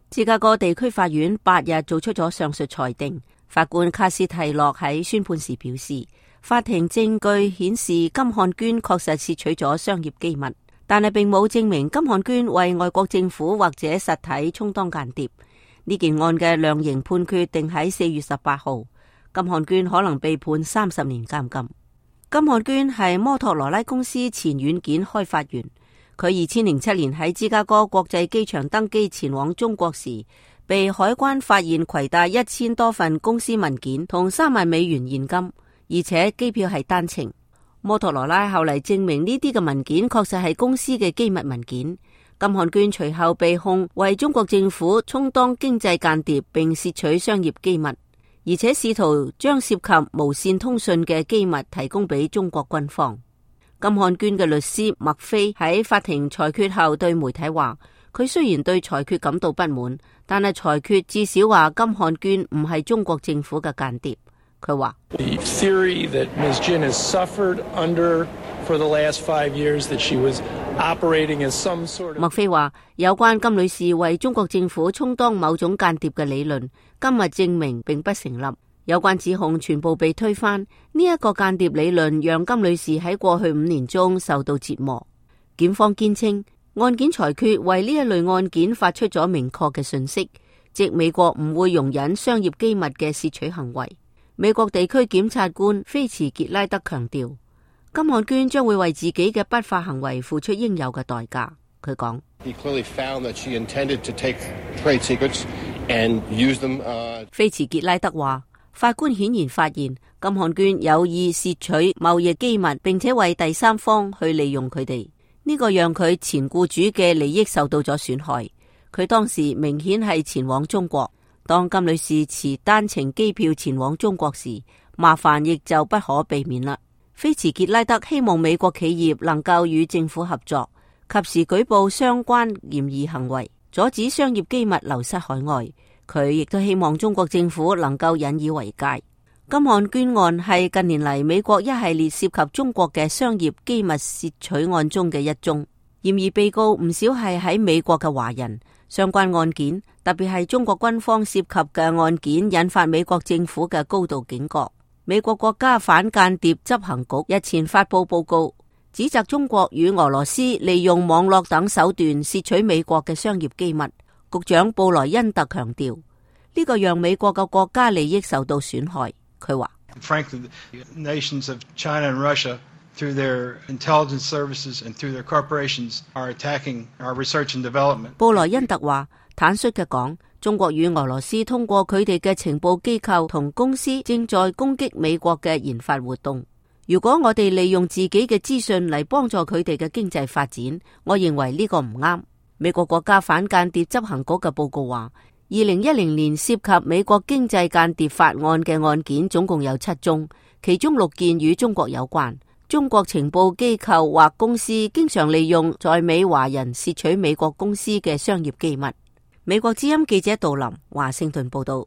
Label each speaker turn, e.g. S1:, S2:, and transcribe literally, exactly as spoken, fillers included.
S1: 芝加哥地區法院八日做出咗上述裁定。法官卡斯蒂洛喺宣判時表示，法庭證據顯示金漢娟確實竊取咗商業機密，但係並冇證明金漢娟為外國政府或者實體充當間諜。呢件案嘅量刑判決定喺四月十八號，金漢娟可能被判三十年監禁。金漢娟係摩托羅拉公司前軟件開發員，佢二千零七年喺芝加哥國際機場登機前往中國時，被海關發現攜帶一千多份公司文件同三萬美元現金，而且機票係單程。摩托羅拉後嚟證明呢啲嘅文件確實係公司嘅機密文件。金漢娟隨後被控為中國政府充當經濟間諜並竊取商業機密，而且試圖將涉及無線通訊嘅機密提供俾中國軍方。金漢娟嘅律師麥菲喺法庭裁決後對媒體話，佢雖然對裁決感到不滿，但係裁決至少話金漢娟唔係中國政府嘅間諜。佢話
S2: The theory that Miz Jin has suffered under for the last five years that she was operating as some sort of
S1: 麥菲話，有關金女士為中國政府充當某種間諜嘅理論，今日證明並不成立。有關指控全部被推翻。呢一個間諜理論讓金女士喺過去五年中受到折磨。檢方堅稱，案件裁決為呢一類案件發出咗明確嘅訊息，即美國唔會容忍商業機密嘅竊取行為。美國地區檢察官菲茨傑拉德強調，金漢娟將會為自己嘅不法行為付出應有嘅代價。佢講，菲茨傑拉德話，法官顯然發現金漢娟有意竊取貿易機密，並且為第三方去利用佢哋。呢個讓佢前僱主嘅利益受到咗損害。佢當時明顯係前往中國。當金女士持單程機票前往中國時，麻煩亦就不可避免啦。菲茨傑拉德希望美國企業能夠與政府合作，及時舉報相關嫌疑行為，阻止商業機密流失海外。佢亦都希望中國政府能夠引以為戒。金漢娟案係近年嚟美國一系列涉及中國嘅商業機密竊取案中嘅一宗，嫌疑被告唔少係喺美國嘅華人。相關案件，特別係中國軍方涉及嘅案件，引發美國政府嘅高度警覺。美國國家反間諜執行局日前發佈報告，指責中國與俄羅斯利用網絡等手段竊取美國嘅商業機密。局長布萊恩特強調，呢個讓美國嘅國家利益受到損害。佢話
S3: Frankly, the nations of China and Russia, through their intelligence services and through their corporations, are attacking our research and development.
S1: 布萊恩特話，坦率嘅講，中國與俄羅斯通過佢哋嘅情報機構同公司正在攻擊美國嘅研發活動。如果我哋利用自己嘅資訊嚟幫助佢哋嘅經濟發展，我認為呢個唔啱。美國國家反間諜執行局嘅報告話，二零一零年涉及美國經濟間諜法案嘅案件總共有七宗，其中六件與中國有關。中國情報機構或公司經常利用在美華人竊取美國公司嘅商業機密。美國之音記者杜林華盛頓報道。